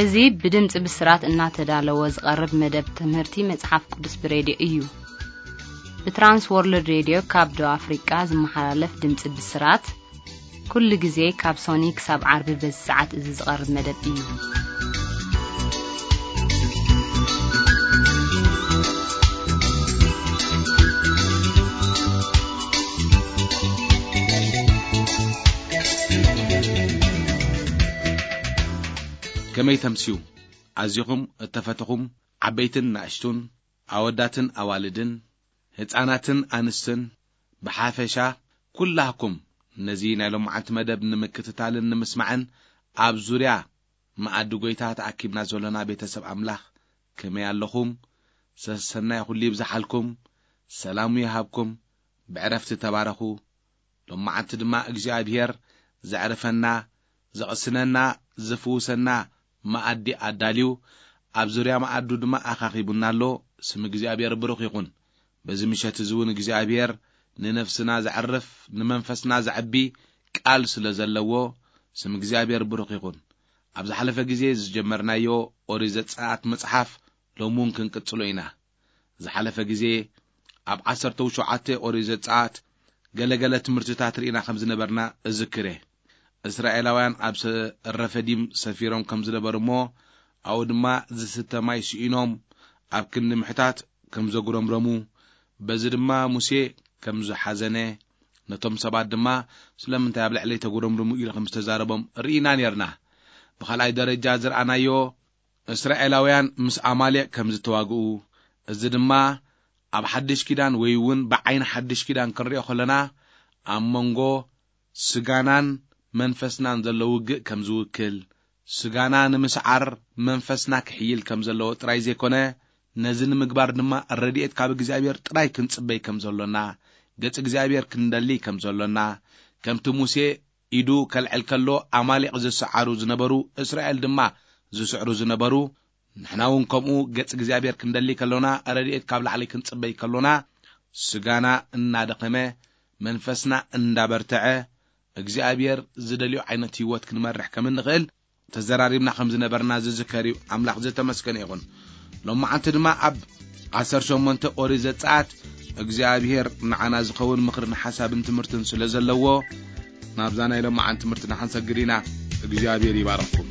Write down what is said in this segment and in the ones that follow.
እዚ ብድምፂ ብስራት እናተዳለወ ዝቐርብ መደብ ትምህርቲ መጽሓፍ ቅዱስ ብሬድዮ እዩ። ብትራንስ ወርልድ ሬድዮ ካብ ደቡብ ኣፍሪቃ ዝመሓላለፍ ድምፂ ብስራት፣ ኩሉ ግዜ ካብ ሶኒ ክሳብ ዓርቢ በዚ ሰዓት እዚ ዝቐርብ መደብ እዩ። ከመይ ተምስዩ? ኣዚኹም እተፈተኹም ዓበይትን ናእሽቱን፣ ኣወዳትን ኣዋልድን፣ ህፃናትን ኣንስትን፣ ብሓፈሻ ኩላህኩም ነዚ ናይ ሎማዓንቲ መደብ ንምክትታልን ንምስማዕን ኣብ ዙርያ መኣዲ ጎይታ ተኣኪብና ዘሎና ቤተሰብ ኣምላኽ ከመይ ኣለኹም? ሰሰናይ ኩሉ ይብዝሓልኩም፣ ሰላሙ ይሃብኩም፣ ብዕረፍቲ ተባረኹ። ሎማዓንቲ ድማ እግዚኣብሔር ዘዕርፈና፣ ዘቕስነና፣ ዝፍውሰና መኣዲ ኣዳልዩ፣ ኣብ ዙርያ መኣዱ ድማ ኣኻኺቡና ኣሎ። ስም እግዚኣብሔር ብሩኽ ይኹን። በዚ ምሸት እዚ እውን እግዚኣብሔር ንነፍስና ዘዕርፍ፣ ንመንፈስና ዘዕቢ ቃል ስለ ዘለዎ፣ ስም እግዚኣብሔር ብሩኽ ይኹን። ኣብ ዝሓለፈ ግዜ ዝጀመርናዮ ኦሪት ዘጸኣት መጽሓፍ ሎሚ እውን ክንቅጽሎ ኢና። ዝሓለፈ ግዜ ኣብ ዓሰርተ ሸውዓተ ኦሪት ዘጸኣት ገለገለ ትምህርትታት ርኢና ከም ዝነበርና እዝክር እየ። እስራኤላውያን ኣብ ሰ-፣ ረፈዲም ሰፊሮም ከም ዝነበሩ እሞ ኣብኡ ድማ ዝስተ ማይ ስኢኖም ኣብ ክንዲ ምሕታት ከም ዘጉረምረሙ፣ በዚ ድማ ሙሴ ከም ዝሓዘነ፣ ነቶም ሰባት ድማ ስለምንታይ ኣብ ልዕለይ ተጉረምርሙ ኢሉ ከም ዝተዛረቦም ርኢና ነርና። ብኻልኣይ ደረጃ ዝረኣናዮ እስራኤላውያን ምስ ኣማሌቅ ከም ዝተዋግኡ፣ እዚ ድማ ኣብ ሓድሽ ኪዳን ወይ እውን ብዓይኒ ሓድሽ ኪዳን ክንሪኦ ከለና ኣብ መንጎ ስጋናን መንፈስናን ዘሎ ውግእ ከም ዝውክል፣ ስጋና ንምስዓር መንፈስና ክሕይል ከም ዘለዎ ጥራይ ዘይኮነ፣ ነዚ ንምግባር ድማ ረድኤት ካብ እግዚኣብሔር ጥራይ ክንጽበይ ከም ዘሎና፣ ገጽ እግዚኣብሔር ክንደሊ ከም ዘሎና፣ ከምቲ ሙሴ ኢዱ ከልዕል ከሎ ኣማሌቕ ዝሰዓሩ ዝነበሩ፣ እስራኤል ድማ ዝስዕሩ ዝነበሩ፣ ንሕና እውን ከምኡ ገጽ እግዚኣብሔር ክንደሊ ከሎና፣ ረድኤት ካብ ላዕሊ ክንጽበይ ከሎና፣ ስጋና እናደኸመ መንፈስና እንዳበርተዐ እግዚኣብሔር ዝደልዮ ዓይነት ህይወት ክንመርሕ ከም እንኽእል ተዘራሪብና ከም ዝነበርና ዝዝከር እዩ። ኣምላኽ ዝተመስገነ ይኹን። ሎማዓንቲ ድማ ኣብ ዓሰርተ ሸሞንተ ኦሪት ዘጸኣት እግዚኣብሔር ንዓና ዝኸውን ምኽርን ሓሳብን ትምህርትን ስለ ዘለዎ ናብዛ ናይ ሎማዓንቲ ትምህርትና ክንሰግድ ኢና። እግዚኣብሔር ይባርኽኩም።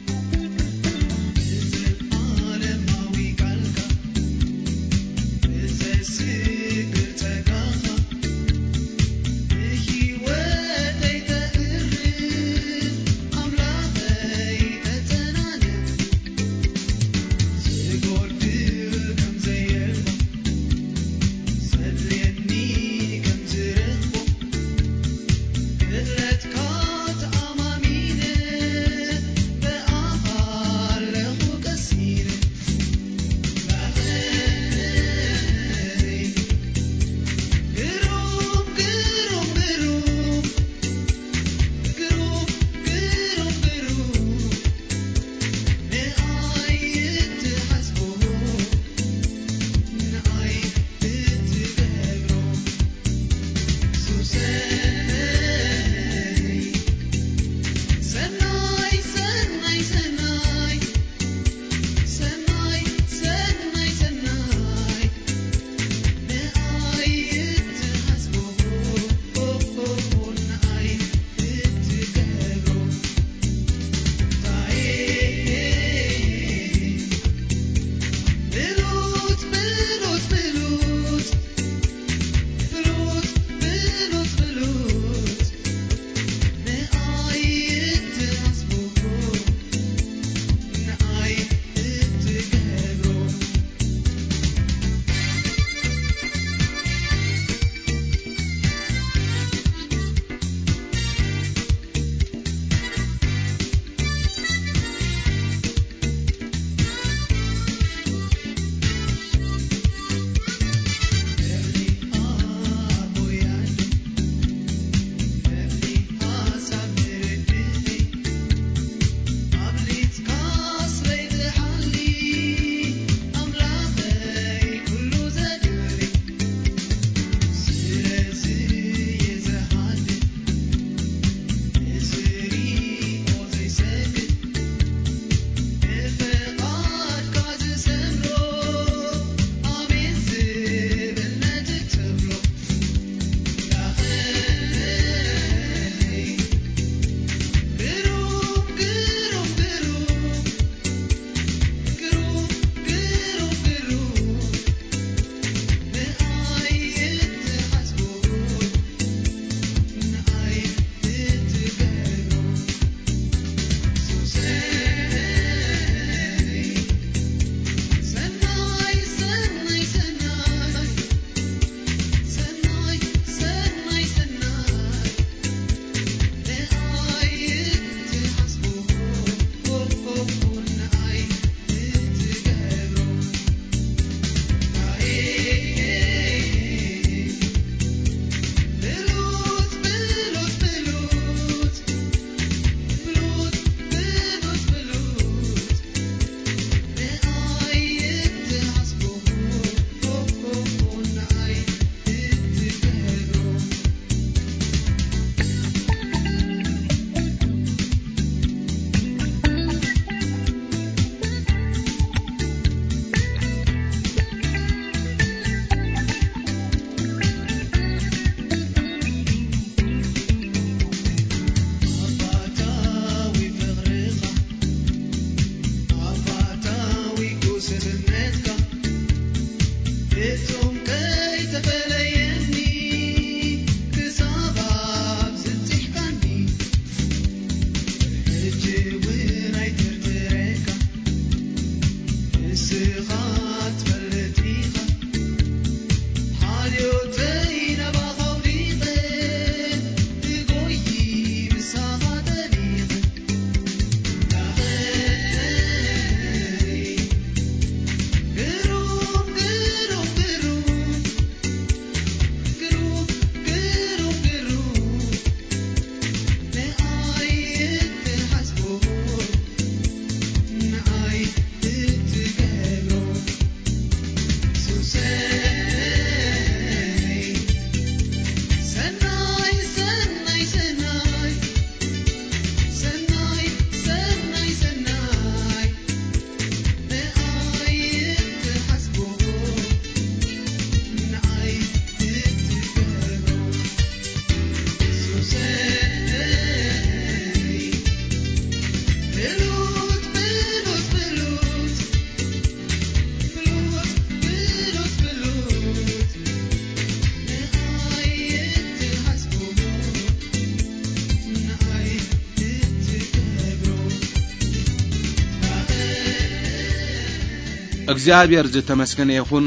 እግዚኣብሔር ዝተመስገነ ይኹን።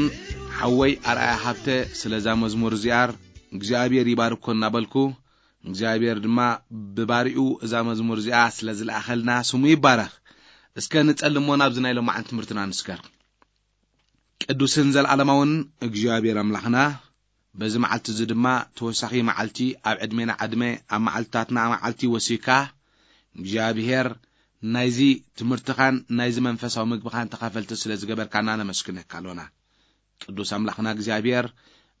ሓወይ ኣርኣያ ሃብተ፣ ስለዛ መዝሙር እዚኣር እግዚኣብሔር ይባርኮ እናበልኩ፣ እግዚኣብሔር ድማ ብባሪኡ እዛ መዝሙር እዚኣ ስለ ዝለኣኸልና ስሙ ይባረኽ። እስከ ንጸልሞ ናብዚ ናይ ሎማዓን ትምህርትና ንስገር። ቅዱስን ዘለዓለማውን እግዚኣብሔር ኣምላኽና፣ በዚ መዓልቲ እዚ ድማ ተወሳኺ መዓልቲ ኣብ ዕድሜና ዕድመ፣ ኣብ መዓልትታትና መዓልቲ ወሲካ፣ እግዚኣብሔር ናይዚ ትምህርትኻን ናይዚ መንፈሳዊ ምግብኻን ተኻፈልቲ ስለ ዝገበርካና ነመስግነካ ኣሎና። ቅዱስ ኣምላኽና እግዚኣብሔር፣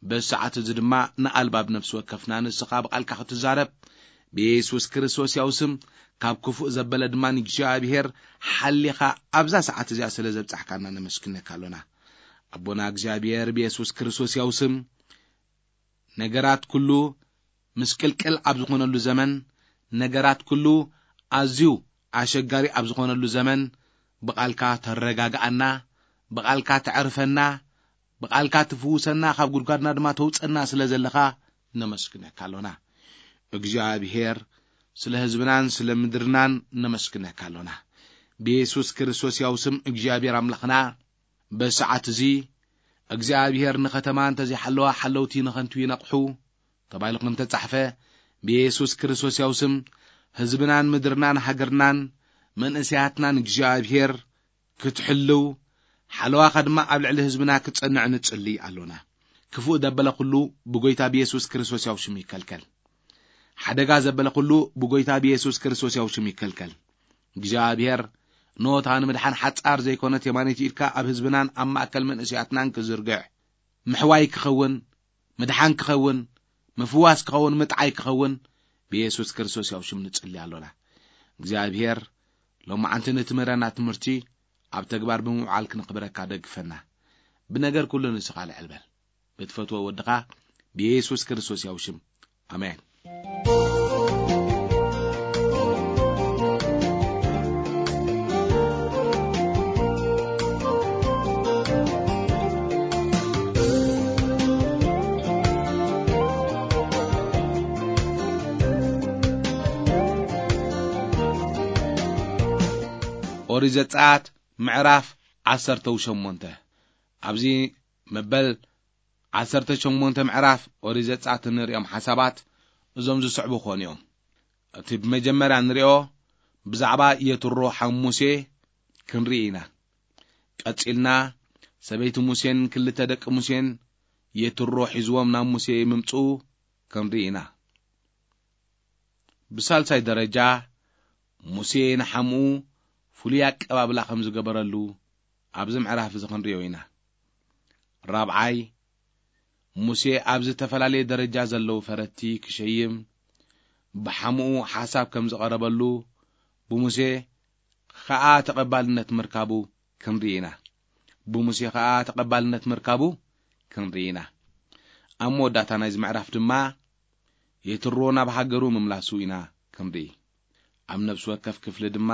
በዚ ሰዓት እዚ ድማ ንኣልባብ ነፍሲ ወከፍና ንስኻ ብቓልካ ክትዛረብ፣ ብየሱስ ክርስቶስ ያው ስም ካብ ክፉእ ዘበለ ድማ ንእግዚኣብሔር ሓሊኻ ኣብዛ ሰዓት እዚኣ ስለ ዘብጻሕካና ነመስግነካ ኣሎና። ኣቦና እግዚኣብሔር፣ ብየሱስ ክርስቶስ ያው ስም ነገራት ኩሉ ምስቅልቅል ኣብ ዝኾነሉ ዘመን፣ ነገራት ኩሉ ኣዝዩ ኣሸጋሪ ኣብ ዝኾነሉ ዘመን፣ ብቓልካ ተረጋግኣና፣ ብቓልካ ተዕርፈና፣ ብቓልካ ትፍውሰና፣ ካብ ጉድጓድና ድማ ተውጸና ስለ ዘለኻ ነመስግነካ ኣሎና። እግዚኣብሔር፣ ስለ ህዝብናን ስለ ምድርናን ነመስግነካ ኣሎና። ብየሱስ ክርስቶስ ያው ስም እግዚኣብሔር ኣምላኽና፣ በሰዓት እዚ እግዚኣብሔር ንኸተማ እንተዘይሓለዋ ሓለውቲ ንኸንቱ ይነቕሑ ተባሂሉ ከም ተጻሕፈ፣ ብየሱስ ክርስቶስ ያው ስም ህዝብናን ምድርናን ሃገርናን መንእሰያትናን እግዚኣብሔር ክትሕልው፣ ሓለዋኻ ድማ ኣብ ልዕሊ ህዝብና ክጸንዕ ንጽሊ ኣሎና። ክፉእ ዘበለ ኩሉ ብጎይታ ብየሱስ ክርስቶስ ያው ሽም ይከልከል። ሓደጋ ዘበለ ኩሉ ብጎይታ ብየሱስ ክርስቶስ ያው ሽም ይከልከል። እግዚኣብሔር፣ ኖታ ንምድሓን ሓጻር ዘይኮነት የማነይቲ ኢድካ ኣብ ህዝብናን ኣብ ማእከል መንእሰያትናን ክዝርግሕ፣ ምሕዋይ ክኸውን፣ ምድሓን ክኸውን፣ ምፍዋስ ክኸውን፣ ምጥዓይ ክኸውን፣ ብየሱስ ክርስቶስ ያው ሽም ንጽሊ ኣሎና። እግዚኣብሔር፣ ሎማዓንቲ ንትምህረና ትምህርቲ ኣብ ተግባር ብምውዓል ክንኽብረካ ደግፈና። ብነገር ኩሉ ንስኻ ልዕል በል። ብትፈትዎ ወድኻ ብየሱስ ክርስቶስ ያው ሽም። ኣሜን። ኦሪት ዘጸኣት ምዕራፍ ዓሰርተ ሸሞንተ። ኣብዚ መበል ዓሰርተ ሸሞንተ ምዕራፍ ኦሪት ዘጸኣት እንርእዮም ሓሳባት እዞም ዝስዕቡ ክኾኑ እዮም። እቲ ብመጀመርያ እንርእዮ ብዛዕባ የትሮ ሓው ሙሴ ክንርኢ ኢና። ቀጺልና ሰበይቲ ሙሴን ክልተ ደቂ ሙሴን የትሮ ሒዝዎም ናብ ሙሴ ምምጽኡ ክንርኢ ኢና። ብሳልሳይ ደረጃ፣ ሙሴ ንሓምኡ ፍሉይ ኣቀባብላ ከም ዝገበረሉ ኣብዚ ምዕራፍ እዚ ክንርእዮ ኢና። ራብዓይ፣ ሙሴ ኣብ ዝተፈላለየ ደረጃ ዘለዉ ፈረድቲ ክሸይም ብሓምኡ ሓሳብ ከም ዝቐረበሉ፣ ብሙሴ ኸኣ ተቐባልነት ምርካቡ ክንርኢ ኢና። ብሙሴ ኸኣ ተቐባልነት ምርካቡ ክንርኢ ኢና። ኣብ መወዳእታ ናይዚ ምዕራፍ ድማ የትሮ ናብ ሃገሩ ምምላሱ ኢና ክንርኢ። ኣብ ነፍሲ ወከፍ ክፍሊ ድማ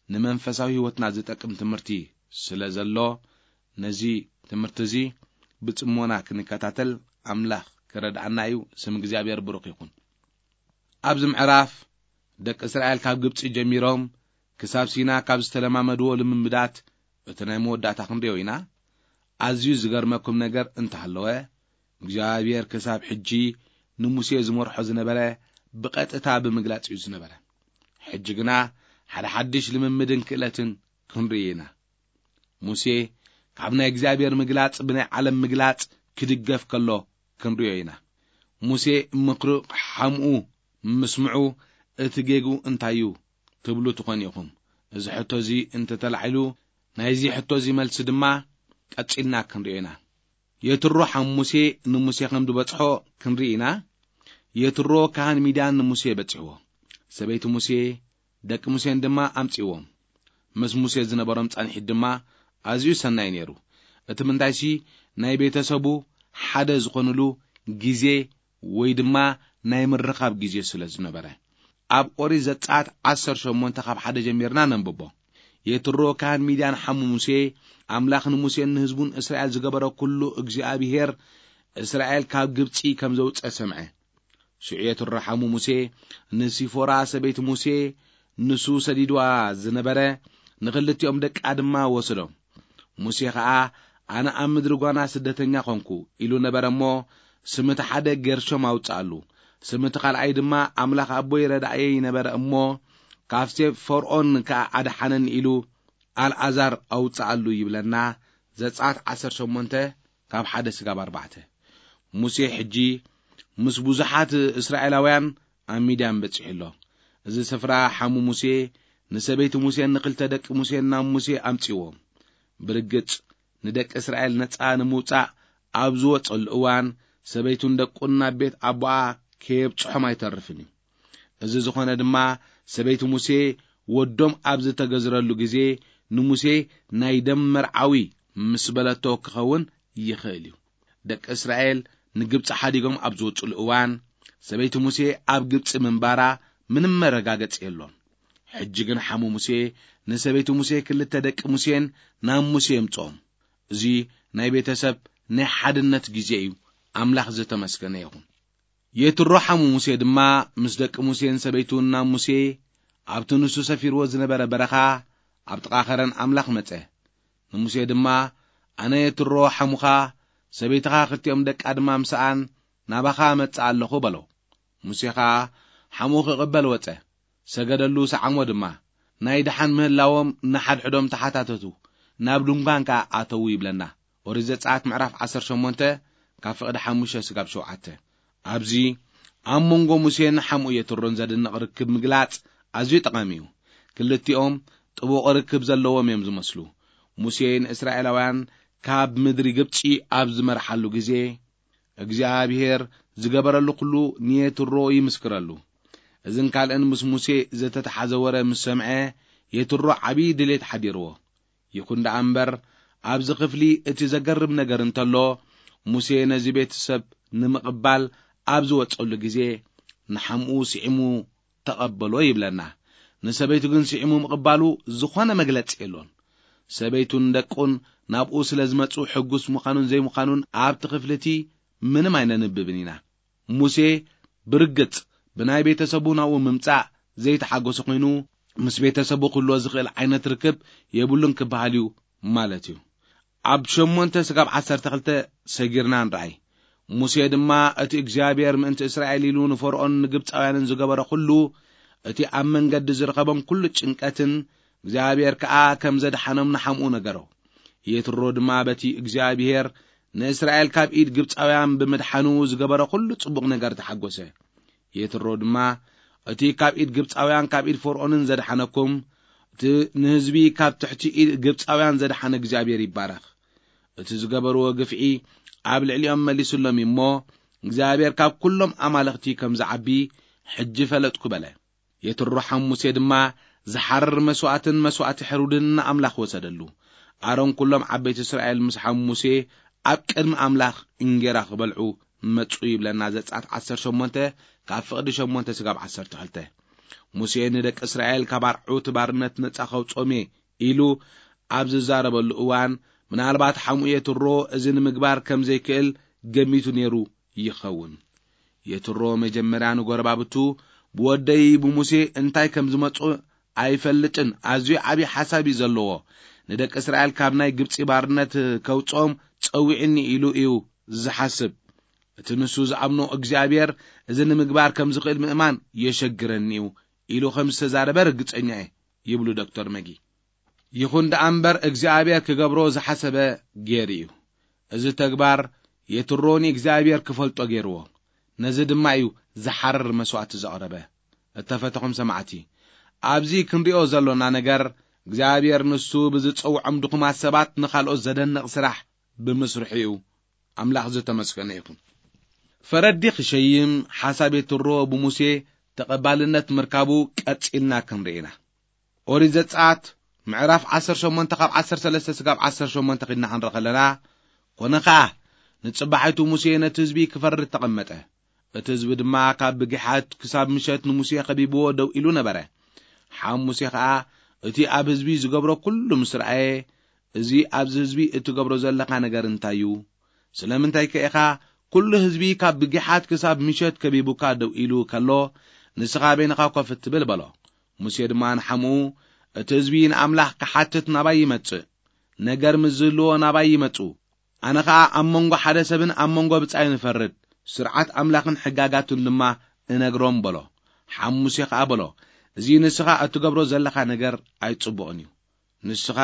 ንመንፈሳዊ ህይወትና ዝጠቅም ትምህርቲ ስለ ዘሎ፣ ነዚ ትምህርቲ እዚ ብጽሞና ክንከታተል ኣምላኽ ክረድኣና እዩ። ስም እግዚኣብሔር ብሩኽ ይኹን። ኣብዚ ምዕራፍ ደቂ እስራኤል ካብ ግብጺ ጀሚሮም ክሳብ ሲና ካብ ዝተለማመድዎ ልምምዳት እቲ ናይ መወዳእታ ክንርእዮ ኢና። ኣዝዩ ዝገርመኩም ነገር እንተሃለወ፣ እግዚኣብሔር ክሳብ ሕጂ ንሙሴ ዝመርሖ ዝነበረ ብቐጥታ ብምግላጽ እዩ ዝነበረ። ሕጂ ግና ሓደ ሓድሽ ልምምድን ክእለትን ክንርኢ ኢና። ሙሴ ካብ ናይ እግዚኣብሔር ምግላጽ ብናይ ዓለም ምግላጽ ክድገፍ ከሎ ክንርእዮ ኢና። ሙሴ ምኽሪ ሓምኡ ምስምዑ እቲ ጌግኡ እንታይ እዩ ትብሉ ትኾኑ ኢኹም። እዚ ሕቶ እዚ እንተተላዒሉ፣ ናይዚ ሕቶ እዚ መልሲ ድማ ቀጺልና ክንርእዮ ኢና። የትሮ ሓም ሙሴ ንሙሴ ከም ዝበጽሖ ክንርኢ ኢና። የትሮ ካህን ሚድያን ንሙሴ በጺሕዎ። ሰበይቲ ሙሴ፣ ደቂ ሙሴን ድማ ኣምጺእዎም። ምስ ሙሴ ዝነበሮም ጻንሒት ድማ ኣዝዩ ሰናይ ነይሩ። እቲ ምንታይሲ፣ ናይ ቤተሰቡ ሓደ ዝኾኑሉ ግዜ ወይ ድማ ናይ ምርኻብ ግዜ ስለ ዝነበረ። ኣብ ኦሪት ዘጸኣት ዓሰርተ ሸሞንተ ካብ ሓደ ጀሚርና ነንብቦ። የትሮ ካህን ሚድያን ሓሙ ሙሴ፣ ኣምላኽ ንሙሴን ንህዝቡን እስራኤል ዝገበሮ ኩሉ እግዚኣብሄር እስራኤል ካብ ግብጺ ከም ዘውጸ ሰምዐ። ሽዑ የትሮ ሓሙ ሙሴ ንሲፎራ ሰበይቲ ሙሴ ንሱ ሰዲድዋ ዝነበረ ንኽልቲኦም ደቃ ድማ ወሰዶም። ሙሴ ኸኣ፣ "ኣነ ኣብ ምድሪ ጓና ስደተኛ ኾንኩ" ኢሉ ነበረ እሞ፣ ስም እቲ ሓደ ጌርሾም ኣውጽኣሉ። ስም እቲ ካልኣይ ድማ፣ "ኣምላኽ ኣቦይ ረዳእየይ ነበረ እሞ፣ ካብ ሴፍ ፈርኦን ከኣ ኣድሓነኒ" ኢሉ ኣልኣዛር ኣውጽኣሉ ይብለና። ዘጸኣት ዓሰርተ ሸሞንተ ካብ ሓደ ስጋብ ኣርባዕተ። ሙሴ ሕጂ ምስ ብዙሓት እስራኤላውያን ኣብ ሚድያን በጺሑ ኣሎ። እዚ ስፍራ ሓሙ ሙሴ ንሰበይቲ ሙሴን ንኽልተ ደቂ ሙሴን ናብ ሙሴ ኣምጺዎም። ብርግጽ፣ ንደቂ እስራኤል ነጻ ንምውጻእ ኣብ ዝወጸሉ እዋን፣ ሰበይቱን ደቁን ናብ ቤት ኣቦኣ ከየብጽሖም ኣይተርፍን እዩ። እዚ ዝኾነ ድማ፣ ሰበይቲ ሙሴ ወዶም ኣብ ዝተገዝረሉ ግዜ፣ ንሙሴ ናይ ደም መርዓዊ ምስ በለቶ ክኸውን ይኽእል እዩ። ደቂ እስራኤል ንግብጺ ሓዲጎም ኣብ ዝወጹሉ እዋን፣ ሰበይቲ ሙሴ ኣብ ግብጺ ምንባራ ምንም መረጋገጺ የሎን። ሕጂ ግን ሓሙ ሙሴ ንሰበይቲ ሙሴ ክልተ ደቂ ሙሴን ናብ ሙሴ የምጽኦም። እዚ ናይ ቤተሰብ ናይ ሓድነት ግዜ እዩ። ኣምላኽ ዝተመስገነ ይኹን። የትሮ ሓሙ ሙሴ ድማ ምስ ደቂ ሙሴን ሰበይቱን ናብ ሙሴ ኣብቲ ንሱ ሰፊርዎ ዝነበረ በረኻ ኣብ ጥቓ ኸረን ኣምላኽ መጸ። ንሙሴ ድማ፣ "ኣነ የትሮ ሓሙኻ፣ ሰበይትኻ፣ ክልቲኦም ደቃ ድማ ምሳኣን ናባኻ እመጽእ ኣለኹ" በሎ። ሙሴ ኸኣ ሓሙ ክቕበል ወጸ፣ ሰገደሉ፣ ሰዓሞ ድማ። ናይ ደሓን ምህላዎም ንሓድሕዶም ተሓታተቱ፣ ናብ ድንኳን ከኣ ኣተዉ ይብለና። ኦሪት ዘጸኣት ምዕራፍ ዓሰርተ ሸሞንተ ካብ ፍቕዲ ሓሙሽተ ስጋብ ሸውዓተ። ኣብዚ ኣብ መንጎ ሙሴን ሓምኡ የትሮን ዘደንቕ ርክብ ምግላጽ ኣዝዩ ጠቓሚ እዩ። ክልቲኦም ጥቡቕ ርክብ ዘለዎም እዮም ዝመስሉ። ሙሴ ንእስራኤላውያን ካብ ምድሪ ግብጺ ኣብ ዝመርሓሉ ግዜ፣ እግዚኣብሄር ዝገበረሉ ኩሉ ንየትሮ ይምስክረሉ። እዝን ካልእን ምስ ሙሴ ዝተተሓዘ ወረ ምስ ሰምዐ፣ የትሮ ዓብዪ ድሌት ሓዲርዎ። ይኹን ደኣ እምበር፣ ኣብዚ ክፍሊ እቲ ዘገርም ነገር እንተሎ፣ ሙሴ ነዚ ቤተሰብ ንምቕባል ኣብ ዝወጸሉ ግዜ፣ ንሓምኡ ስዒሙ ተቐበሎ ይብለና። ንሰበይቱ ግን ስዒሙ ምቕባሉ ዝኾነ መግለጺ የሎን። ሰበይቱን ደቁን ናብኡ ስለ ዝመጹ፣ ሕጉስ ምዃኑን ዘይምዃኑን ኣብቲ ክፍሊ እቲ ምንም ኣይነንብብን ኢና። ሙሴ ብርግጽ ብናይ ቤተሰቡ ናብኡ ምምጻእ ዘይተሓጎሰ ኮይኑ፣ ምስ ቤተሰቡ ክህልዎ ዝኽእል ዓይነት ርክብ የብሉን ክበሃል እዩ ማለት እዩ። ኣብ ሸሞንተ ስጋብ ዓሰርተ ክልተ ሰጊርና ንርኣይ። ሙሴ ድማ እቲ እግዚኣብሔር ምእንቲ እስራኤል ኢሉ ንፈርኦን ንግብጻውያንን ዝገበረ ኩሉ፣ እቲ ኣብ መንገዲ ዝረኸቦም ኩሉ ጭንቀትን እግዚኣብሔር ከኣ ከም ዘድሓኖም ንሓምኡ ነገሮ። የትሮ ድማ በቲ እግዚኣብሔር ንእስራኤል ካብ ኢድ ግብጻውያን ብምድሓኑ ዝገበረ ኩሉ ጽቡቕ ነገር ተሓጎሰ። የትሮ ድማ፣ "እቲ ካብ ኢድ ግብጻውያን ካብ ኢድ ፈርኦንን ዘድሓነኩም፣ እቲ ንህዝቢ ካብ ትሕቲ ኢድ ግብጻውያን ዘድሓነ እግዚኣብሔር ይባረኽ። እቲ ዝገበርዎ ግፍዒ ኣብ ልዕሊኦም መሊሱሎም እሞ፣ እግዚኣብሔር ካብ ኩሎም ኣማልኽቲ ከም ዝዓቢ ሕጂ ፈለጥኩ" በለ። የትሮ ሓም ሙሴ ድማ ዝሓርር መስዋእትን መስዋእቲ ሕሩድን ንኣምላኽ ወሰደሉ። ኣሮን ኩሎም ዓበይቲ እስራኤል ምስ ሓም ሙሴ ኣብ ቅድሚ ኣምላኽ እንጌራ ክበልዑ መጹ ይብለና ዘጸኣት ዓሰርተ ሸሞንተ ካብ ፍቕዲ ሸሞንተ ስጋብ ዓሰርተ ክልተ። ሙሴ ንደቂ እስራኤል ካብ ኣርዑት ባርነት ነጻ ከውጾም እየ ኢሉ ኣብ ዝዛረበሉ እዋን፣ ምናልባት ሓምኡ የትሮ እዚ ንምግባር ከም ዘይክእል ገሚቱ ነይሩ ይኸውን። የትሮ መጀመርያ ንጎረባብቱ፣ "ብወደይ ብሙሴ እንታይ ከም ዝመጽእ ኣይፈልጥን፣ ኣዝዩ ዓብዪ ሓሳብ እዩ ዘለዎ። ንደቂ እስራኤል ካብ ናይ ግብጺ ባርነት ከውጽኦም ጸዊዕኒ" ኢሉ እዩ ዝሓስብ። እቲ ንሱ ዝኣምኖ እግዚኣብሔር እዚ ንምግባር ከም ዝኽእል ምእማን የሸግረኒ እዩ ኢሉ ከም ዝተዛረበ ርግጸኛ እየ ይብሉ ዶክተር መጊ። ይኹን ደኣ እምበር እግዚኣብሔር ክገብሮ ዝሓሰበ ገይሩ እዩ። እዚ ተግባር የትሮ ንእግዚኣብሔር ክፈልጦ ገይርዎ። ነዚ ድማ እዩ ዝሓርር መስዋእቲ ዘቕረበ። እተፈተኹም ሰማዕቲ፣ ኣብዚ ክንሪኦ ዘሎና ነገር እግዚኣብሔር ንሱ ብዝጸውዖም ድኹማት ሰባት ንኻልኦት ዘደንቕ ስራሕ ብምስርሑ እዩ። ኣምላኽ ዝተመስገነ ይኹን። ፈረዲ ክሸይም ሓሳብ የትሮ ብሙሴ ተቐባልነት ምርካቡ ቀጺልና ክንርኢ ኢና። ኦሪት ዘጸኣት ምዕራፍ ዓሰርተ ሸሞንተ ካብ ዓሰርተ ሰለስተ ስጋብ ዓሰርተ ሸሞንተ ኺድና ኽንርኢ ኸለና፣ ኮነ ኸኣ ንጽባሒቱ ሙሴ ነቲ ህዝቢ ክፈርድ ተቐመጠ። እቲ ህዝቢ ድማ ካብ ብጊሓት ክሳብ ምሸት ንሙሴ ኸቢብዎ ደው ኢሉ ነበረ። ሓም ሙሴ ኸኣ እቲ ኣብ ህዝቢ ዝገብሮ ኩሉ ምስ ረኣየ፣ "እዚ ኣብዚ ህዝቢ እትገብሮ ዘለኻ ነገር እንታይ እዩ? ስለምንታይ ከ ኢኻ ኩሉ ህዝቢ ካብ ብጊሓት ክሳብ ምሸት ከቢቡካ ደው ኢሉ ከሎ፣ ንስኻ በይንኻ ኮፍ እትብል?" በሎ። ሙሴ ድማ ንሓምኡ፣ "እቲ ህዝቢ ንኣምላኽ ክሓትት ናባይ ይመጽእ፣ ነገር ምስ ዝህልዎ ናባይ ይመጹ። ኣነ ኸኣ ኣብ መንጎ ሓደ ሰብን ኣብ መንጎ ብጻይን እፈርድ፣ ስርዓት ኣምላኽን ሕጋጋቱን ድማ እነግሮም በሎ። ሓሙሴ ኸኣ በሎ፣ እዚ ንስኻ እትገብሮ ዘለኻ ነገር ኣይጽቡቕን እዩ። ንስኻ፣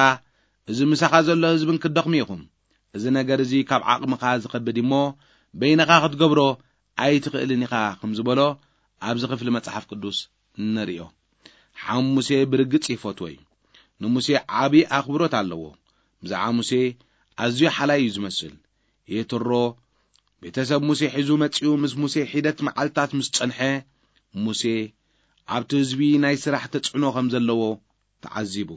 እዚ ምሳኻ ዘሎ ህዝብን ክትደኽሙ ኢኹም። እዚ ነገር እዚ ካብ ዓቕምኻ ዝኸብድ እሞ፣ በይንኻ ክትገብሮ ኣይትኽእልን ኢኻ ከም ዝበሎ ኣብዚ ክፍሊ መጽሓፍ ቅዱስ ንርእዮ። ሓሙሴ ብርግጽ ይፈትዎ እዩ። ንሙሴ ዓቢ ኣኽብሮት ኣለዎ። ብዛዕባ ሙሴ ኣዝዩ ሓላይ እዩ ዝመስል። የትሮ ቤተሰብ ሙሴ ሒዙ መጺኡ ምስ ሙሴ ሒደት መዓልታት ምስ ጸንሐ፣ ሙሴ ኣብቲ ህዝቢ ናይ ስራሕ ተጽዕኖ ከም ዘለዎ ተዓዚቡ።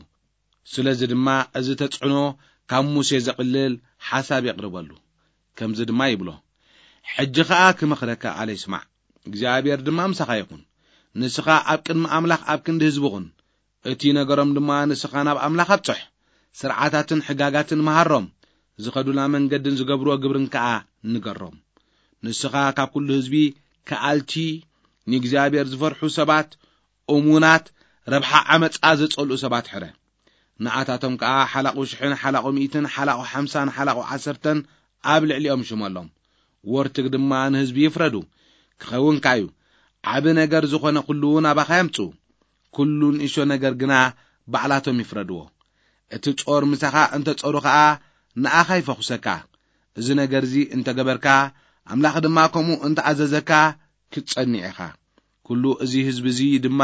ስለዚ ድማ እዚ ተጽዕኖ ካብ ሙሴ ዘቕልል ሓሳብ የቕርበሉ። ከምዚ ድማ ይብሎ፣ ሕጂ ኸኣ ክመኽረካ ኣለ ይስማዕ። እግዚኣብሔር ድማ ምሳኻ ይኹን። ንስኻ ኣብ ቅድሚ ኣምላኽ ኣብ ክንዲ ህዝቢ ኹን። እቲ ነገሮም ድማ ንስኻ ናብ ኣምላኽ ኣብጽሕ። ስርዓታትን ሕጋጋትን መሃሮም። ዝኸዱላ መንገድን ዝገብርዎ ግብርን ከኣ ንገሮም። ንስኻ ካብ ኩሉ ህዝቢ ከኣልቲ፣ ንእግዚኣብሔር ዝፈርሑ ሰባት፣ እሙናት፣ ረብሓ ዓመጻ ዘጸልኡ ሰባት ሕረ። ንኣታቶም ከኣ ሓላቑ ሽሕን ሓላቑ ሚእትን ሓላቑ ሓምሳን ሓላቑ ዓሰርተን ኣብ ልዕሊኦም ሽመሎም። ወርትግ ድማ ንህዝቢ ይፍረዱ። ክኸውንካ እዩ። ዓቢ ነገር ዝኾነ ኩሉ ናባኻ የምጽኡ። ኩሉ ንእሽቶ ነገር ግና ባዕላቶም ይፍረድዎ። እቲ ጾር ምሳኻ እንተ ጾሩ ኸኣ ንኣኻ ይፈኹሰካ። እዚ ነገር እዚ እንተ ገበርካ፣ ኣምላኽ ድማ ከምኡ እንተ ኣዘዘካ ክትጸንዕ ኢኻ። ኩሉ እዚ ህዝቢ እዚ ድማ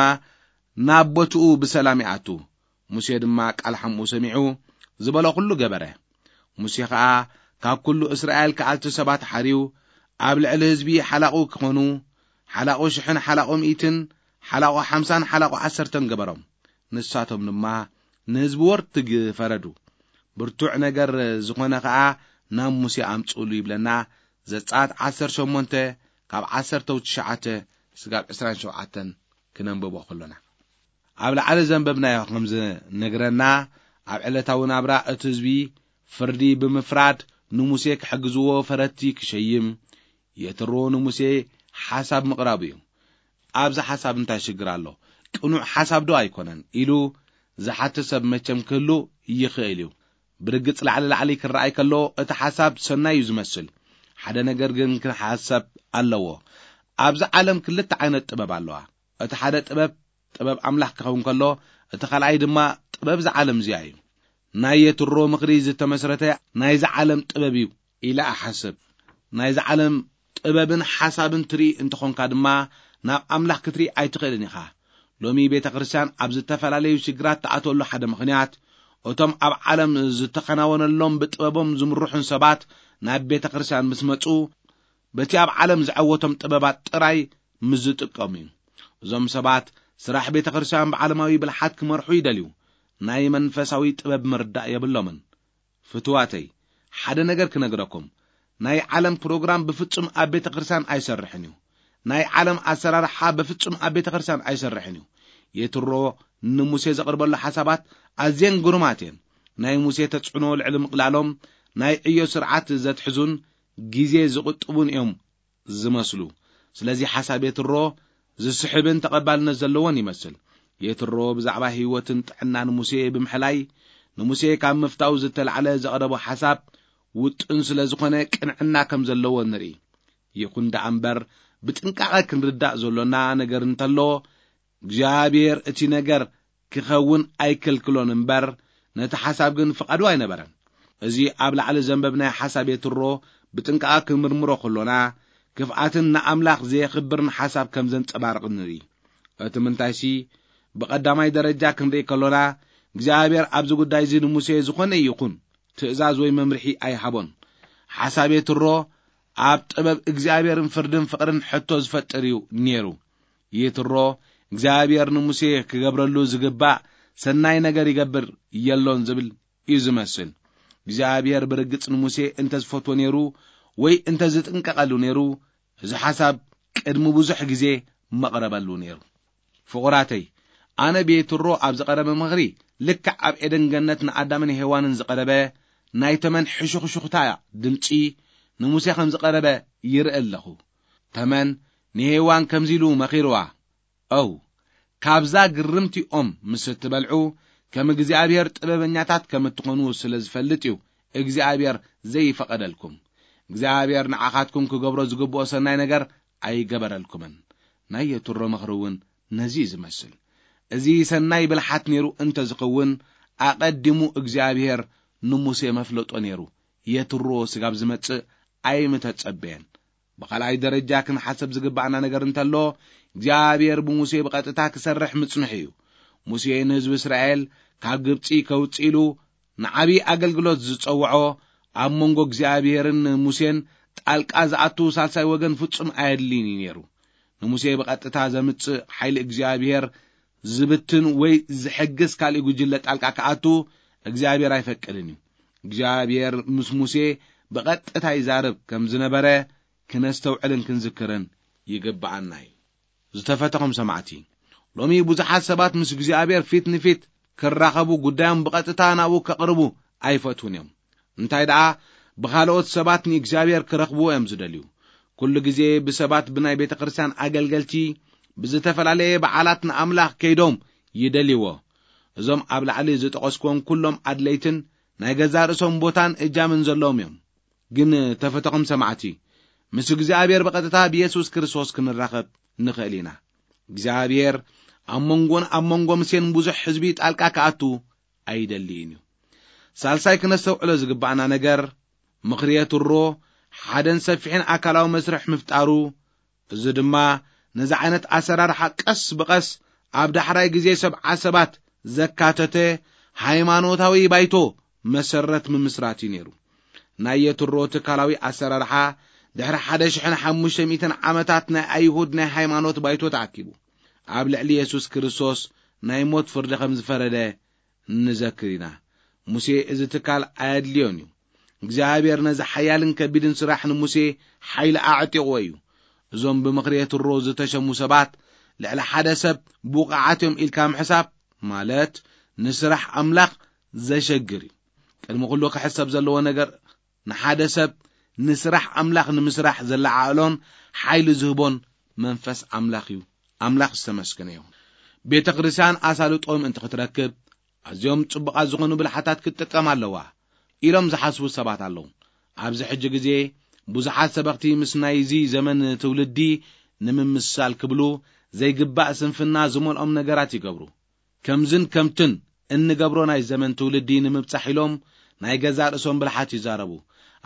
ናብ ቦትኡ ብሰላም ይኣቱ። ሙሴ ድማ ቃል ሓምኡ ሰሚዑ ዝበሎ ኩሉ ገበረ። ሙሴ ኸኣ ካብ ኩሉ እስራኤል ከኣልቲ ሰባት ሓርዩ፣ ኣብ ልዕሊ ህዝቢ ሓላቑ ክኾኑ፣ ሓላቑ ሽሕን ሓላቑ ሚእትን፣ ሓላቑ ሓምሳን ሓላቑ ዓሰርተን ገበሮም። ንሳቶም ድማ ንህዝቢ ወርትግ ፈረዱ። ብርቱዕ ነገር ዝኾነ ኸኣ ናብ ሙሴ ኣምጽእሉ ይብለና። ዘጸኣት ዓሰርተ ሸሞንተ ካብ ዓሰርተ ትሽዓተ ስጋብ ዕስራን ሸውዓተን ክነንብቦ ከሎና። ኣብ ላዕሊ ዘንበብናዮ ከም ዝነግረና፣ ኣብ ዕለታዊ ናብራ እቲ ህዝቢ ፍርዲ ብምፍራድ ንሙሴ ክሕግዝዎ ፈረድቲ ክሸይም፣ የትሮ ንሙሴ ሓሳብ ምቕራቡ እዩ። ኣብዚ ሓሳብ እንታይ ሽግር ኣሎ? ቅኑዕ ሓሳብ ዶ ኣይኮነን? ኢሉ ዝሓትት ሰብ መቸም ክህሉ ይኽእል እዩ። ብርግጽ ላዕሊ ላዕሊ ክረኣይ ከሎ እቲ ሓሳብ ሰናይ እዩ ዝመስል። ሓደ ነገር ግን ክሓሰብ ኣለዎ። ኣብዚ ዓለም ክልተ ዓይነት ጥበብ ኣለዋ። እቲ ሓደ ጥበብ፣ ጥበብ ኣምላኽ ክኸውን ከሎ፣ እቲ ካልኣይ ድማ ጥበብ እዛ ዓለም እዚኣ እዩ። ናይ የትሮ ምኽሪ ዝተመስረተ ናይዚ ዓለም ጥበብ እዩ ኢለ እሓስብ። ናይዚ ዓለም ጥበብን ሓሳብን ትርኢ እንተኾንካ ድማ፣ ናብ ኣምላኽ ክትርኢ ኣይትኽእልን ኢኻ። ሎሚ ቤተ ክርስቲያን ኣብ ዝተፈላለዩ ሽግራት ትኣትወሉ ሓደ ምኽንያት፣ እቶም ኣብ ዓለም ዝተኸናወነሎም ብጥበቦም ዝምርሑን ሰባት ናብ ቤተ ክርስቲያን ምስ መጹ፣ በቲ ኣብ ዓለም ዝዐወቶም ጥበባት ጥራይ ምስ ዝጥቀሙ እዩ። እዞም ሰባት ስራሕ ቤተ ክርስቲያን ብዓለማዊ ብልሓት ክመርሑ ይደልዩ። ናይ መንፈሳዊ ጥበብ ምርዳእ የብሎምን። ፍትዋተይ፣ ሓደ ነገር ክነግረኩም። ናይ ዓለም ፕሮግራም ብፍጹም ኣብ ቤተ ክርስቲያን ኣይሰርሕን እዩ። ናይ ዓለም ኣሰራርሓ ብፍጹም ኣብ ቤተ ክርስቲያን ኣይሰርሕን እዩ። የትሮ ንሙሴ ዘቕርበሉ ሓሳባት ኣዝየን ግሩማት እየን። ናይ ሙሴ ተጽዕኖ ልዕሊ ምቕላሎም ናይ ዕዮ ስርዓት ዘትሕዙን ግዜ ዝቕጥቡን እዮም ዝመስሉ። ስለዚ ሓሳብ የትሮ ዝስሕብን ተቐባልነት ዘለዎን ይመስል። የትሮ ብዛዕባ ህይወትን ጥዕናን ሙሴ ብምሕላይ፣ ንሙሴ ካብ ምፍታው ዝተላዕለ ዘቕረቦ ሓሳብ ውጥን ስለ ዝኾነ ቅንዕና ከም ዘለዎ ንርኢ። ይኹን ደኣ እምበር፣ ብጥንቃቐ ክንርዳእ ዘሎና ነገር እንተሎ፣ እግዚኣብሔር እቲ ነገር ክኸውን ኣይከልክሎን እምበር፣ ነቲ ሓሳብ ግን ፍቓዱ ኣይነበረን። እዚ ኣብ ላዕሊ ዘንበብናዮ ሓሳብ የትሮ ብጥንቃቐ ክንምርምሮ ከሎና፣ ክፍኣትን ንኣምላኽ ዘየኽብርን ሓሳብ ከም ዘንጸባርቕ ንርኢ። እቲ ምንታይሲ፣ ብቐዳማይ ደረጃ ክንርኢ ከሎና፣ እግዚኣብሔር ኣብዚ ጉዳይ እዚ ንሙሴ ዝኾነ ይኹን ትእዛዝ ወይ መምርሒ ኣይሃቦን። ሓሳብ የትሮ ኣብ ጥበብ እግዚኣብሔርን ፍርድን ፍቕርን ሕቶ ዝፈጥር እዩ ነይሩ። የትሮ እግዚኣብሔር ንሙሴ ክገብረሉ ዝግባእ ሰናይ ነገር ይገብር የሎን ዝብል እዩ ዝመስል። እግዚኣብሔር ብርግጽ ንሙሴ እንተ ዝፈትዎ ነይሩ ወይ እንተ ዝጥንቀቐሉ ነይሩ፣ እዚ ሓሳብ ቅድሚ ብዙሕ ግዜ መቕረበሉ ነይሩ። ፍቑራተይ፣ ኣነ ብየትሮ ኣብ ዝቐረበ ምኽሪ፣ ልክዕ ኣብ ኤደን ገነት ንኣዳምን ሄዋንን ዝቐረበ ናይ ተመን ሕሹኽሹኽታ ድምጺ ንሙሴ ከም ዝቐረበ ይርኢ ኣለኹ። ተመን ንሄዋን ከምዚ ኢሉ መኺርዋ፣ "ኦው፣ ካብዛ ግርምቲ ኦም ምስ እትበልዑ፣ ከም እግዚኣብሔር ጥበበኛታት ከም እትኾኑ ስለ ዝፈልጥ እዩ እግዚኣብሔር ዘይፈቐደልኩም። እግዚኣብሔር ንዓኻትኩም ክገብሮ ዝግብኦ ሰናይ ነገር ኣይገበረልኩምን። ናይ የትሮ ምኽሪ እውን ነዚ እዩ ዝመስል። እዚ ሰናይ ብልሓት ነይሩ እንተ ዝኸውን፣ ኣቐዲሙ እግዚኣብሔር ንሙሴ መፍለጦ ነይሩ። የትሮ ስጋብ ዝመጽእ ኣይምተጸበየን። ብኻልኣይ ደረጃ ክንሓሰብ ዝግባኣና ነገር እንተሎ፣ እግዚኣብሔር ብሙሴ ብቐጥታ ክሰርሕ ምጽንሑ እዩ። ሙሴ ንህዝቢ እስራኤል ካብ ግብጺ ከውጽእ ኢሉ ንዓብዪ ኣገልግሎት ዝጸውዖ፣ ኣብ መንጎ እግዚኣብሔርን ሙሴን ጣልቃ ዝኣቱ ሳልሳይ ወገን ፍጹም ኣየድልይን እዩ ነይሩ። ንሙሴ ብቐጥታ ዘምጽእ ሓይሊ እግዚኣብሔር ዝብትን ወይ ዝሕግዝ ካልእ ጉጅለ ጣልቃ ክኣቱ እግዚኣብሔር ኣይፈቅድን እዩ። እግዚኣብሔር ምስ ሙሴ ብቐጥታ ይዛረብ ከም ዝነበረ ክነስተውዕልን ክንዝክርን ይግብኣና እዩ። ዝተፈተኹም ሰማዕቲ፣ ሎሚ ብዙሓት ሰባት ምስ እግዚኣብሔር ፊት ንፊት ክራኸቡ፣ ጉዳዮም ብቐጥታ ናብኡ ከቕርቡ ኣይፈትዉን እዮም። እንታይ ደኣ፣ ብኻልኦት ሰባት ንእግዚኣብሔር ክረኽብዎ እዮም ዝደልዩ። ኩሉ ግዜ ብሰባት፣ ብናይ ቤተ ክርስቲያን ኣገልገልቲ፣ ብዝተፈላለየ በዓላት ንኣምላኽ ከይዶም ይደልይዎ። እዞም ኣብ ላዕሊ ዝጠቐስክዎም ኩሎም ኣድለይትን ናይ ገዛእ ርእሶም ቦታን እጃምን ዘለዎም እዮም። ግን ተፈተኹም ሰማዕቲ፣ ምስ እግዚኣብሔር ብቐጥታ ብየሱስ ክርስቶስ ክንራኸብ ንኽእል ኢና። እግዚኣብሔር ኣብ መንጎን ኣብ መንጎ ሙሴን ብዙሕ ህዝቢ ጣልቃ ክኣቱ ኣይደልይን እዩ። ሳልሳይ ክነስተውዕሎ ዝግባኣና ነገር፣ ምኽሪ የትሮ ሓደን ሰፊሕን ኣካላዊ መስርሕ ምፍጣሩ፣ እዚ ድማ ነዚ ዓይነት ኣሰራርሓ ቀስ ብቐስ ኣብ ዳሕራይ ግዜ ሰብዓ ሰባት ዘካተተ ሃይማኖታዊ ባይቶ መሰረት ምምስራት እዩ ነይሩ። ናይ የትሮ ትካላዊ ኣሰራርሓ ድሕሪ ሓደ ሽሕን ሓሙሽተ ሚእትን ዓመታት ናይ ኣይሁድ ናይ ሃይማኖት ባይቶ ተኣኪቡ ኣብ ልዕሊ የሱስ ክርስቶስ ናይ ሞት ፍርዲ ከም ዝፈረደ ንዘክር ኢና። ሙሴ እዚ ትካል ኣየድልዮን እዩ። እግዚኣብሔር ነዚ ሓያልን ከቢድን ስራሕ ንሙሴ ሓይሊ ኣዕጢቕዎ እዩ። እዞም ብምኽሪ የትሮ ዝተሸሙ ሰባት ልዕሊ ሓደ ሰብ ብቑዓት እዮም ኢልካ ምሕሳብ ማለት ንስራሕ ኣምላኽ ዘሸግር እዩ። ቅድሚ ኩሉ ክሕሰብ ዘለዎ ነገር ንሓደ ሰብ ንስራሕ ኣምላኽ ንምስራሕ ዘለዓዕሎን ሓይሊ ዝህቦን መንፈስ ኣምላኽ እዩ። ኣምላኽ ዝተመስገነ ይኹን። ቤተ ክርስቲያን ኣሳልጦ ምእንቲ ክትረክብ ኣዝዮም ጽቡቓት ዝኾኑ ብልሓታት ክትጥቀም ኣለዋ ኢሎም ዝሓስቡ ሰባት ኣለዉ። ኣብዚ ሕጂ ግዜ ብዙሓት ሰበኽቲ ምስ ናይዚ ዘመን ትውልዲ ንምምስሳል ክብሉ ዘይግባእ ስንፍና ዝመልኦም ነገራት ይገብሩ። ከምዝን ከምትን እንገብሮ ናይ ዘመን ትውልዲ ንምብጻሕ ኢሎም ናይ ገዛእ ርእሶም ብልሓት ይዛረቡ።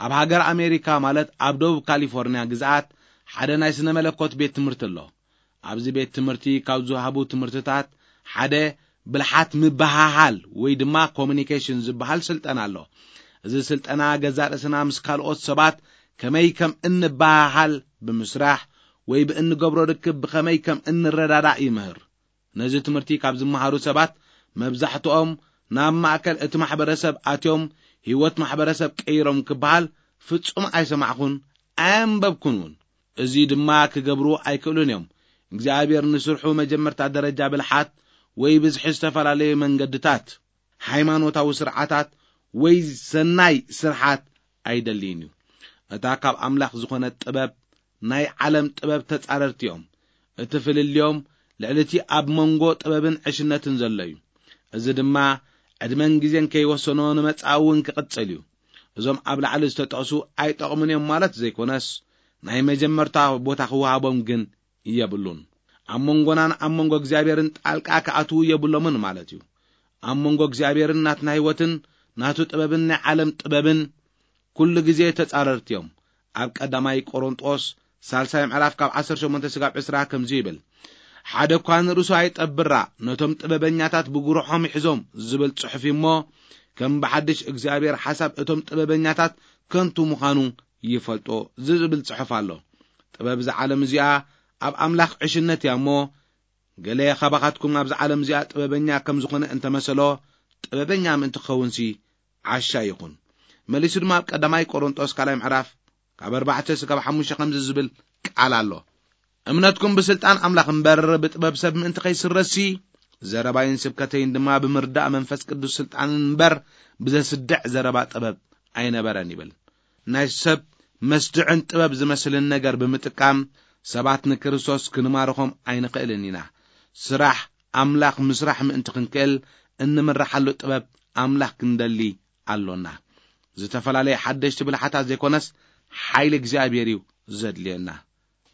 ኣብ ሃገር ኣሜሪካ ማለት ኣብ ደቡብ ካሊፎርንያ ግዝኣት ሓደ ናይ ስነ መለኮት ቤት ትምህርቲ ኣሎ። ኣብዚ ቤት ትምህርቲ ካብ ዝወሃቡ ትምህርትታት ሓደ ብልሓት ምበሃሃል ወይ ድማ ኮሙኒኬሽን ዝበሃል ስልጠና ኣሎ። እዚ ስልጠና ገዛእ ርእስና ምስ ካልኦት ሰባት ከመይ ከም እንበሃሃል ብምስራሕ ወይ ብእንገብሮ ርክብ ብኸመይ ከም እንረዳዳእ ይምህር። ነዚ ትምህርቲ ካብ ዝመሃሩ ሰባት መብዛሕትኦም ናብ ማእከል እቲ ማሕበረሰብ ኣትዮም ህይወት ማሕበረሰብ ቀይሮም ክበሃል ፍጹም ኣይሰማዕኩን ኣየንበብኩን እውን። እዚ ድማ ክገብርዎ ኣይክእሉን እዮም። እግዚኣብሔር ንስርሑ መጀመርታ ደረጃ ብልሓት ወይ ብዝሒ ዝተፈላለዩ መንገድታት፣ ሃይማኖታዊ ስርዓታት ወይ ሰናይ ስርሓት ኣይደልይን እዩ። እታ ካብ ኣምላኽ ዝኾነት ጥበብ ናይ ዓለም ጥበብ ተጻረርቲ እዮም። እቲ ፍልልዮም ልዕሊ እቲ ኣብ መንጎ ጥበብን ዕሽነትን ዘሎ እዩ። እዚ ድማ ዕድመን ግዜን ከይወሰኖ ንመጻኢ እውን ክቕጽል እዩ። እዞም ኣብ ላዕሊ ዝተጠቕሱ ኣይጠቕሙን እዮም ማለት ዘይኮነስ፣ ናይ መጀመርታ ቦታ ክወሃቦም ግን የብሉን። ኣብ መንጎናን ኣብ መንጎ እግዚኣብሔርን ጣልቃ ክኣትዉ የብሎምን ማለት እዩ። ኣብ መንጎ እግዚኣብሔርን ናትና ህይወትን ናቱ ጥበብን ናይ ዓለም ጥበብን ኩሉ ግዜ ተጻረርቲ እዮም። ኣብ ቀዳማይ ቆሮንጦስ ሳልሳይ ምዕራፍ ካብ ዓሰርተ ሸሞንተ ስጋብ ዕስራ ከምዚ ይብል፣ ሓደ እኳ ንርእሱ ኣይጠብራ፣ ነቶም ጥበበኛታት ብጉርሖም ይሕዞም ዝብል ጽሑፍ እዩ እሞ፣ ከም ብሓድሽ እግዚኣብሔር ሓሳብ እቶም ጥበበኛታት ከንቱ ምዃኑ ይፈልጦ ዝብል ጽሑፍ ኣሎ። ጥበብ እዛ ዓለም እዚኣ ኣብ ኣምላኽ ዕሽነት እያ እሞ፣ ገለ ካባኻትኩም ኣብዚ ዓለም እዚኣ ጥበበኛ ከም ዝኾነ እንተመሰሎ፣ ጥበበኛ ምእንቲ ክኸውንሲ ዓሻ ይኹን። መሊሱ ድማ ኣብ ቀዳማይ ቆሮንጦስ ካልኣይ ምዕራፍ ካብ ኣርባዕተ ስጋብ ሓሙሽተ ከምዚ ዝብል ቃል ኣሎ፣ እምነትኩም ብስልጣን ኣምላኽ እምበር ብጥበብ ሰብ ምእንቲ ከይስረሲ፣ ዘረባይን ስብከተይን ድማ ብምርዳእ መንፈስ ቅዱስ ስልጣን እምበር ብዘስድዕ ዘረባ ጥበብ ኣይነበረን ይብል። ናይ ሰብ መስድዕን ጥበብ ዝመስልን ነገር ብምጥቃም ሰባት ንክርስቶስ ክንማርኾም ኣይንኽእልን ኢና። ስራሕ ኣምላኽ ምስራሕ ምእንቲ ክንክእል እንምርሓሉ ጥበብ ኣምላኽ ክንደሊ ኣሎና። ዝተፈላለየ ሓደሽቲ ብልሓታት ዘይኮነስ፣ ሓይሊ እግዚኣብሔር እዩ ዘድልየና።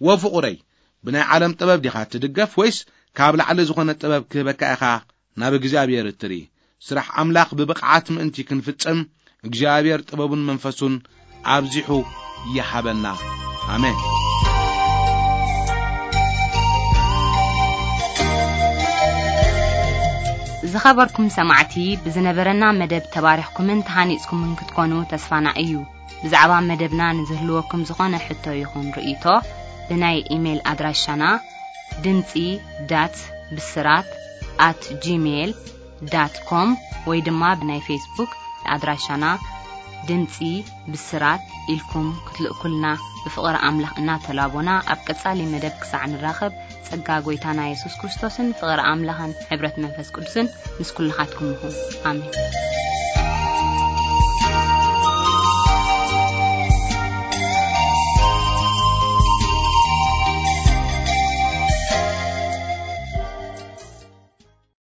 ወፍቑረይ፣ ብናይ ዓለም ጥበብ ዲኻ ትድገፍ፣ ወይስ ካብ ላዕሊ ዝኾነ ጥበብ ክህበካ ኢኻ ናብ እግዚኣብሔር እትርኢ? ስራሕ ኣምላኽ ብብቕዓት ምእንቲ ክንፍጽም፣ እግዚኣብሔር ጥበቡን መንፈሱን ኣብዚሑ ይሃበና። ኣሜን። ዝኸበርኩም ሰማዕቲ፣ ብዝነበረና መደብ ተባሪኽኩምን ተሃኒጽኩምን ክትኮኑ ተስፋና እዩ። ብዛዕባ መደብና ንዝህልወኩም ዝኾነ ሕቶ ይኹን ርእይቶ፣ ብናይ ኢሜይል ኣድራሻና ድምጺ ዳት ብስራት ኣት ጂሜይል ዳት ኮም ወይ ድማ ብናይ ፌስቡክ ኣድራሻና ድምጺ ብስራት ኢልኩም ክትልእኩልና ብፍቕሪ ኣምላኽ እናተላቦና፣ ኣብ ቀጻሊ መደብ ክሳዕ ንራኸብ፣ ጸጋ ጐይታና የሱስ ክርስቶስን ፍቕሪ ኣምላኽን ሕብረት መንፈስ ቅዱስን ምስ ኩልኻትኩም ይኹን። ኣሜን።